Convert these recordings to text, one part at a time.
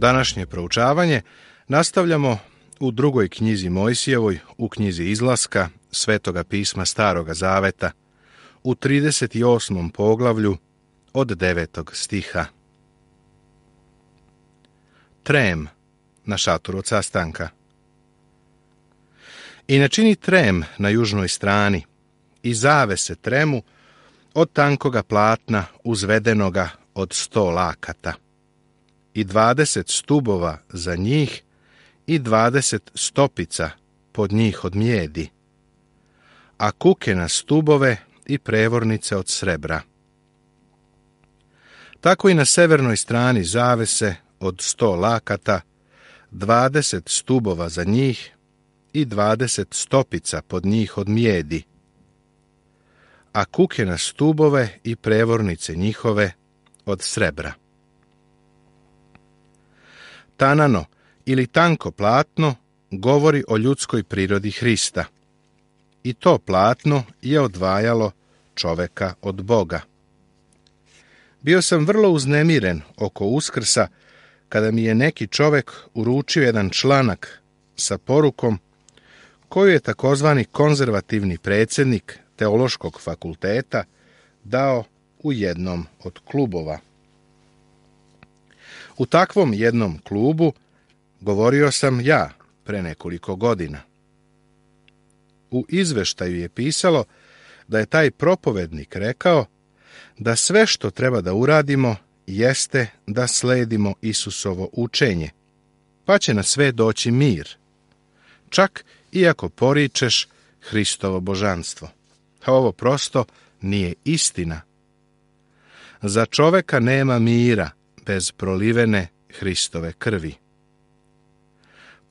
Današnje proučavanje nastavljamo u drugoj knjizi Mojsijevoj, u knjizi Izlaska, Svetoga pisma Staroga Zaveta, u 38. poglavlju od 9. stiha. Trem na šatoru od sastanka. I načini trem na južnoj strani i zavese tremu od tankoga platna uzvedenoga od 100 lakata i 20 stubova za njih i 20 stopica pod njih od mjedi, a kuke na stubove i prevornice od srebra. Tako i na severnoj strani zavese od 100 lakata, 20 stubova za njih i 20 stopica pod njih od mjedi, a kuke na stubove i prevornice njihove od srebra. Tanano ili tanko platno govori o ljudskoj prirodi Hrista. I to platno je odvajalo čoveka od Boga. Bio sam vrlo uznemiren oko Uskrsa kada mi je neki čovek uručio jedan članak sa porukom koju je takozvani konzervativni predsjednik Teološkog fakulteta dao u jednom od klubova. U takvom jednom klubu govorio sam ja pre nekoliko godina. U izveštaju je pisalo da je taj propovednik rekao da sve što treba da uradimo jeste da sledimo Isusovo učenje, pa će na sve doći mir, čak i ako poričeš Hristovo božanstvo. A ovo prosto nije istina. Za čoveka nema mira bez prolivene Hristove krvi.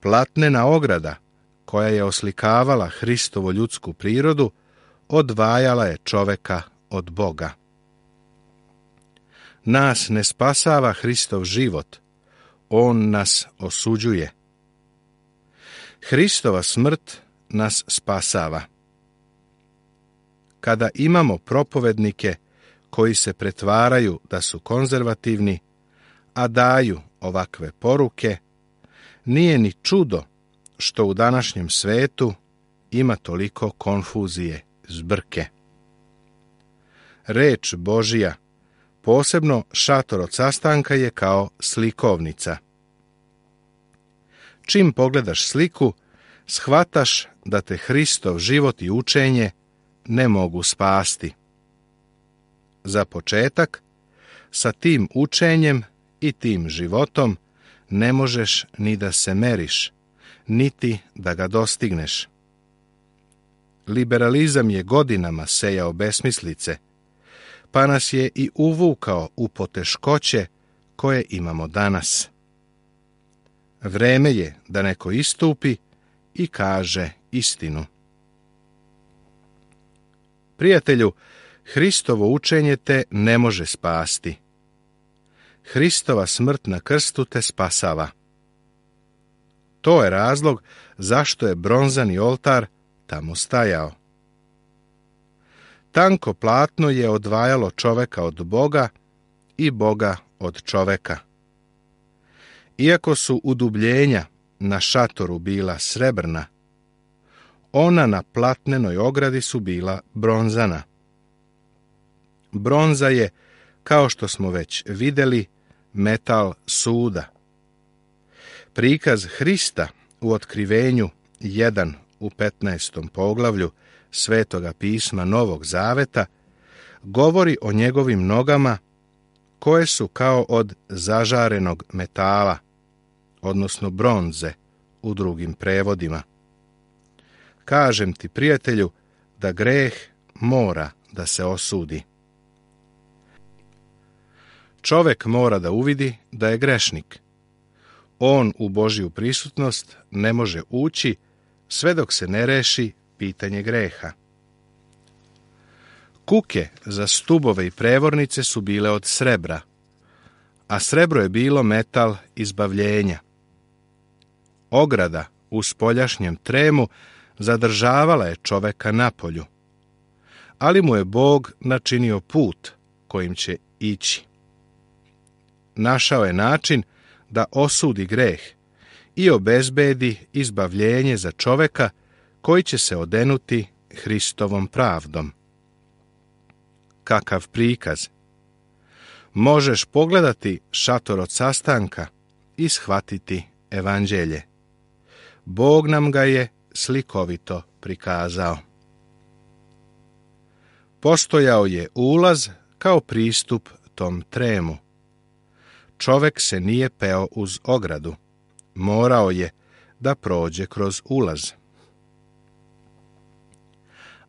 Platnena ograda, koja je oslikavala Hristovu ljudsku prirodu, odvajala je čoveka od Boga. Nas ne spasava Hristov život, on nas osuđuje. Hristova smrt nas spasava. Kada imamo propovednike koji se pretvaraju da su konzervativni, a daju ovakve poruke, nije ni čudo što u današnjem svetu ima toliko konfuzije, zbrke. Reč Božija, posebno šator od sastanka, je kao slikovnica. Čim pogledaš sliku, shvataš da te Hristov život i učenje ne mogu spasti. Za početak, sa tim učenjem i tim životom ne možeš ni da se meriš, niti da ga dostigneš. Liberalizam je godinama sejao besmislice, pa nas je i uvukao u poteškoće koje imamo danas. Vreme je da neko istupi i kaže istinu. Prijatelju, Hristovo učenje te ne može spasti. Hristova smrt na krstu te spasava. To je razlog zašto je bronzani oltar tamo stajao. Tanko platno je odvajalo čoveka od Boga i Boga od čoveka. Iako su udubljenja na šatoru bila srebrna, ona na platnenoj ogradi su bila bronzana. Bronza je, kao što smo već vidjeli, metal suda. Prikaz Hrista u Otkrivenju 1 u 15. poglavlju Svetoga pisma Novog Zaveta govori o njegovim nogama koje su kao od zažarenog metala, odnosno bronze u drugim prevodima. Kažem ti, prijatelju, da greh mora da se osudi. Čovek mora da uvidi da je grešnik. On u Božju prisutnost ne može ući sve dok se ne reši pitanje greha. Kuke za stubove i prevornice su bile od srebra, a srebro je bilo metal izbavljenja. Ograda u spoljašnjem tremu zadržavala je čoveka napolju, ali mu je Bog načinio put kojim će ići. Našao je način da osudi greh i obezbedi izbavljenje za čoveka koji će se odenuti Hristovom pravdom. Kakav prikaz! Možeš pogledati šator od sastanka i shvatiti evanđelje. Bog nam ga je slikovito prikazao. Postojao je ulaz kao pristup tom tremu. Čovek se nije peo uz ogradu. Morao je da prođe kroz ulaz.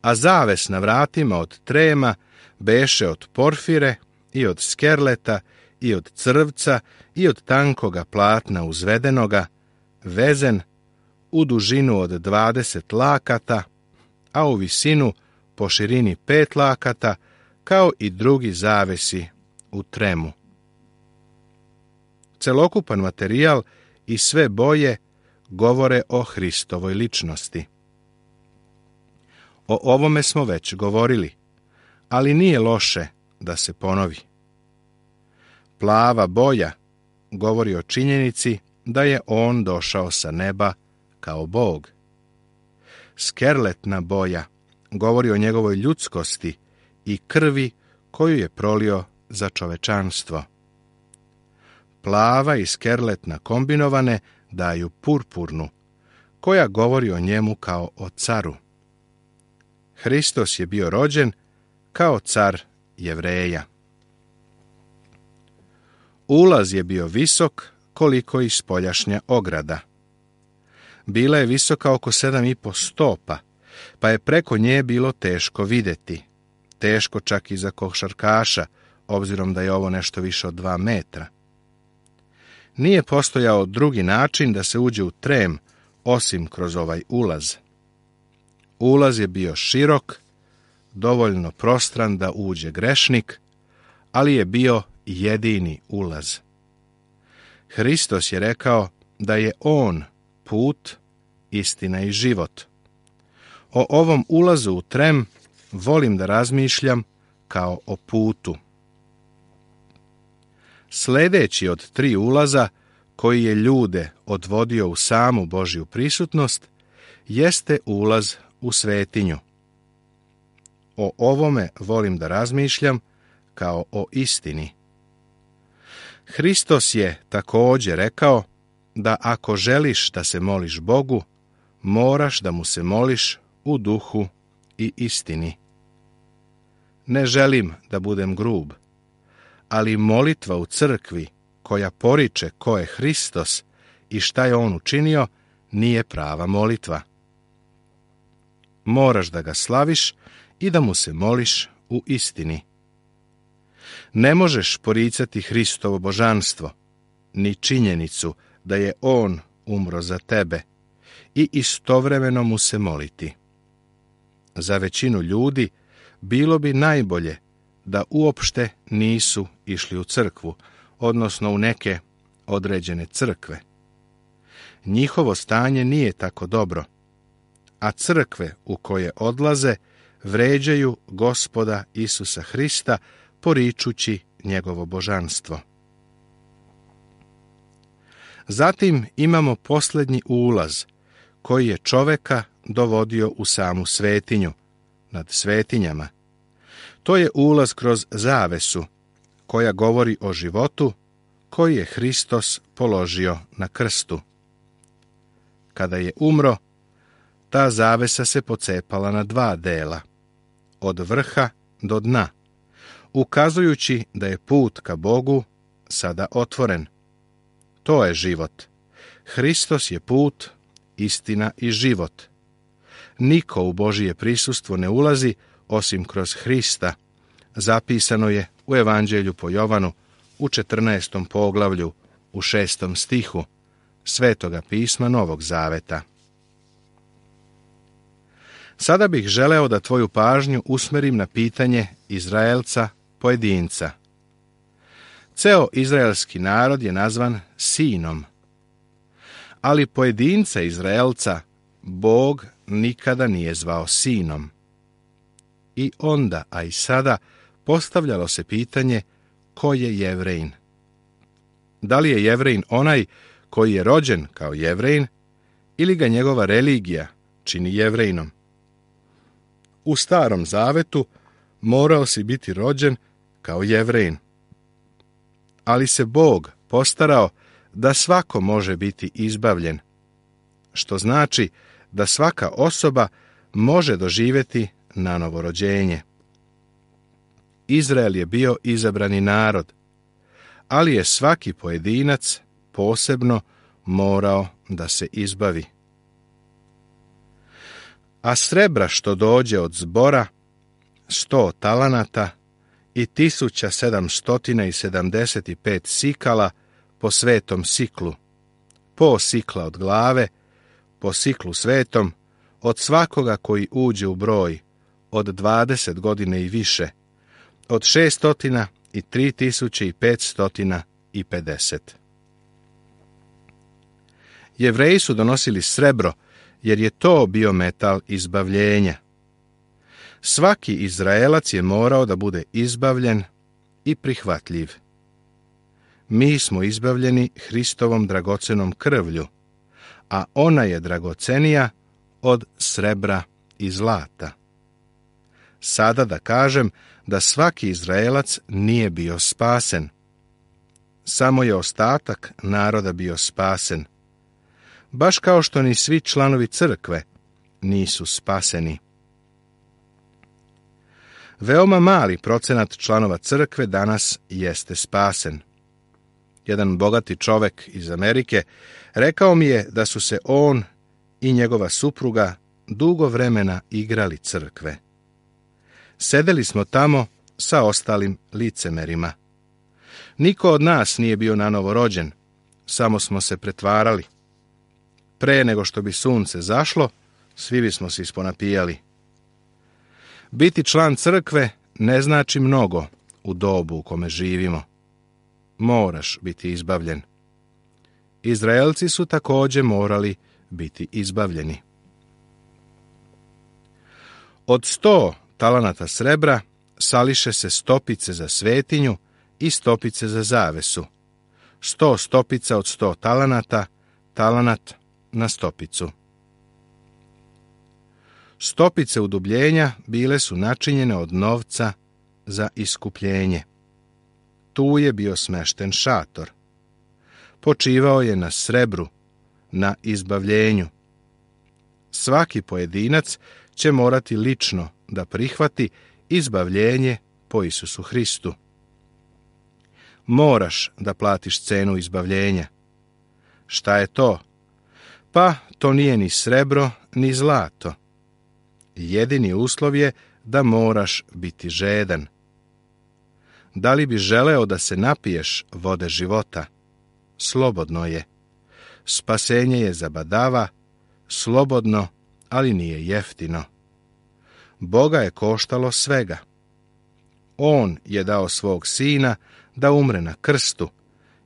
A zaves na vratima od trema beše od porfire i od skerleta i od crvca i od tankoga platna uzvedenoga, vezen u dužinu od 20 lakata, a u visinu po širini 5 lakata, kao i drugi zavesi u tremu. Celokupan materijal i sve boje govore o Hristovoj ličnosti. O ovome smo već govorili, ali nije loše da se ponovi. Plava boja govori o činjenici da je on došao sa neba kao Bog. Skerletna boja govori o njegovoj ljudskosti i krvi koju je prolio za čovečanstvo. Plava i skerletna kombinovane daju purpurnu, koja govori o njemu kao o caru. Hristos je bio rođen kao car Jevreja. Ulaz je bio visok koliko i spoljašnja ograda. Bila je visoka oko 7,5 stopa, pa je preko nje bilo teško vidjeti. Teško čak i za košarkaša, obzirom da je ovo nešto više od 2 metra. Nije postojao drugi način da se uđe u trem, osim kroz ovaj ulaz. Ulaz je bio širok, dovoljno prostran da uđe grešnik, ali je bio jedini ulaz. Hristos je rekao da je on put, istina i život. O ovom ulazu u trem volim da razmišljam kao o putu. Sljedeći od 3 ulaza koji je ljude odvodio u samu Božju prisutnost jeste ulaz u svetinju. O ovome volim da razmišljam kao o istini. Hristos je također rekao da ako želiš da se moliš Bogu, moraš da mu se moliš u duhu i istini. Ne želim da budem grub, ali molitva u crkvi koja poriče ko je Hristos i šta je on učinio, nije prava molitva. Moraš da ga slaviš i da mu se moliš u istini. Ne možeš poricati Hristovo božanstvo, ni činjenicu da je on umro za tebe i istovremeno mu se moliti. Za većinu ljudi bilo bi najbolje da uopšte nisu išli u crkvu, odnosno u neke određene crkve. Njihovo stanje nije tako dobro, a crkve u koje odlaze vređaju Gospoda Isusa Hrista poričući njegovo božanstvo. Zatim imamo posljednji ulaz koji je čoveka dovodio u samu svetinju, nad svetinjama. To je ulaz kroz zavesu koja govori o životu koji je Hristos položio na krstu. Kada je umro, ta zavesa se pocepala na 2 dela, od vrha do dna, ukazujući da je put ka Bogu sada otvoren. To je život. Hristos je put, istina i život. Niko u Božije prisustvo ne ulazi osim kroz Hrista. Zapisano je u Evanđelju po Jovanu u 14. poglavlju u 6. stihu Svetoga pisma Novog Zaveta. Sada bih želeo da tvoju pažnju usmerim na pitanje Izraelca pojedinca. Ceo izraelski narod je nazvan sinom, ali pojedinca Izraelca Bog nikada nije zvao sinom. I onda, a i sada, postavljalo se pitanje ko je Jevrejin. Da li je Jevrejin onaj koji je rođen kao Jevrejin ili ga njegova religija čini Jevrejinom? U Starom Zavetu morao si biti rođen kao Jevrejin. Ali se Bog postarao da svako može biti izbavljen, što znači da svaka osoba može doživjeti nanovo rođenje. Izrael je bio izabrani narod, ali je svaki pojedinac posebno morao da se izbavi. A srebra što dođe od zbora, 100 talanata i 1775 sikala po svetom siklu, po sikla od glave, po siklu svetom, od svakoga koji uđe u broj, od 20 godine i više, od 600 i 3550. Jevreji su donosili srebro, jer je to bio metal izbavljenja. Svaki Izraelac je morao da bude izbavljen i prihvatljiv. Mi smo izbavljeni Hristovom dragocenom krvlju, a ona je dragocenija od srebra i zlata. Sada da kažem da svaki Izraelac nije bio spasen. Samo je ostatak naroda bio spasen. Baš kao što ni svi članovi crkve nisu spaseni. Veoma mali procenat članova crkve danas jeste spasen. Jedan bogati čovek iz Amerike rekao mi je da su se on i njegova supruga dugo vremena igrali crkve. Sedeli smo tamo sa ostalim licemerima. Niko od nas nije bio nanovo rođen, samo smo se pretvarali. Pre nego što bi sunce zašlo, svi bismo se isponapijali. Biti član crkve ne znači mnogo u dobu u kome živimo. Moraš biti izbavljen. Izraelci su također morali biti izbavljeni. Od 100 talanata srebra sališe se stopice za svetinju i stopice za zavesu. 100 stopica od 100 talanata, talanat na stopicu. Stopice udubljenja bile su načinjene od novca za iskupljenje. Tu je bio smešten šator. Počivao je na srebru, na izbavljenju. Svaki pojedinac će morati lično da prihvati izbavljenje po Isusu Hristu. Moraš da platiš cenu izbavljenja. Šta je to? Pa to nije ni srebro, ni zlato. Jedini uslov je da moraš biti žedan. Da li bi želeo da se napiješ vode života? Slobodno je. Spasenje je zabadava, slobodno, ali nije jeftino. Boga je koštalo svega. On je dao svog sina da umre na krstu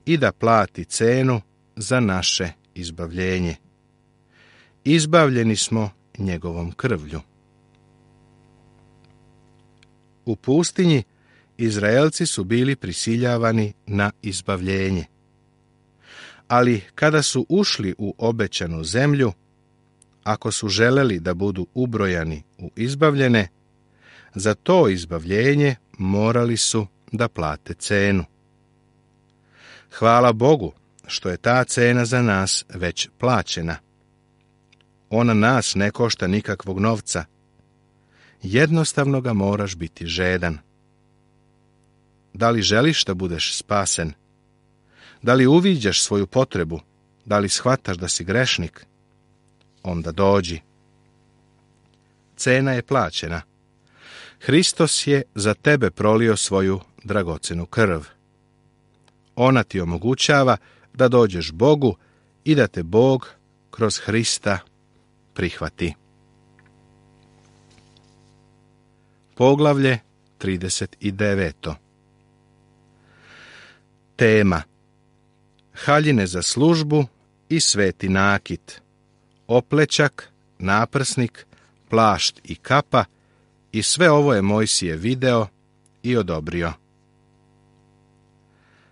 i da plati cenu za naše izbavljenje. Izbavljeni smo njegovom krvlju. U pustinji Izraelci su bili prisiljavani na izbavljenje. Ali kada su ušli u obećanu zemlju, ako su želeli da budu ubrojani u izbavljene, za to izbavljenje morali su da plate cenu. Hvala Bogu što je ta cena za nas već plaćena. Ona nas ne košta nikakvog novca. Jednostavno ga moraš biti žedan. Da li želiš da budeš spasen? Da li uviđaš svoju potrebu? Da li shvataš da si grešnik? Onda dođi. Cena je plaćena. Hristos je za tebe prolio svoju dragocenu krv. Ona ti omogućava da dođeš Bogu i da te Bog kroz Hrista prihvati. Poglavlje 39. Tema: haljine za službu i sveti nakit, oplećak, naprsnik, plašt i kapa, i sve ovo je Mojsije video i odobrio.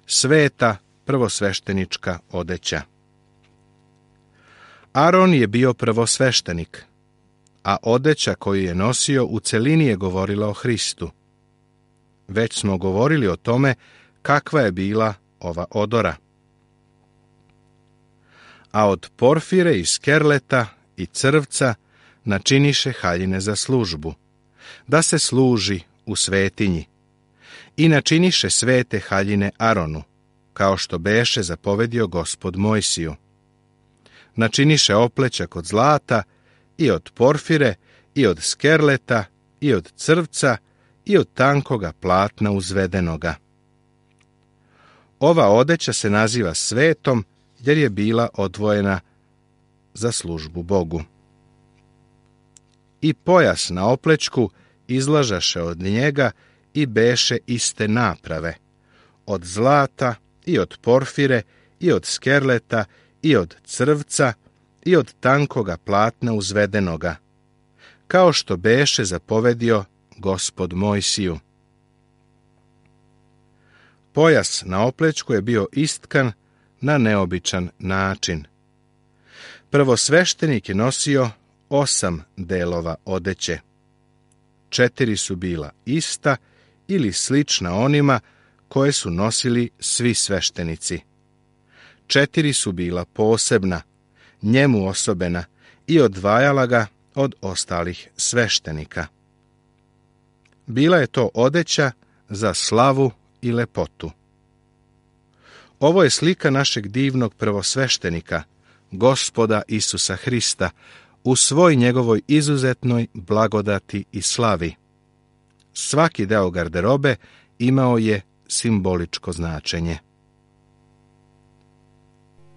Sveta prvosveštenička odeća. Aron je bio prvosveštenik, a odeća koju je nosio u celini je govorila o Hristu. Već smo govorili o tome kakva je bila ova odora. A od porfire i skerleta i crvca načiniše haljine za službu, da se služi u svetinji, i načiniše svete haljine Aronu, kao što beše zapovedio Gospod Mojsiju. Načiniše oplećak od zlata i od porfire i od skerleta i od crvca i od tankoga platna uzvedenoga. Ova odeća se naziva svetom jer je bila odvojena za službu Bogu. I pojas na oplećku izlažaše od njega i beše iste naprave, od zlata i od porfire i od skerleta i od crvca i od tankoga platna uzvedenoga, kao što beše zapovedio Gospod Mojsiju. Pojas na oplećku je bio istkan na neobičan način. Prvosveštenik je nosio 8 delova odeće. 4 su bila ista ili slična onima koje su nosili svi sveštenici. 4 su bila posebna, njemu osobena i odvajala ga od ostalih sveštenika. Bila je to odeća za slavu i lepotu. Ovo je slika našeg divnog prvosveštenika, Gospoda Isusa Hrista, u svoj njegovoj izuzetnoj blagodati i slavi. Svaki deo garderobe imao je simboličko značenje.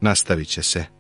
Nastavit će se.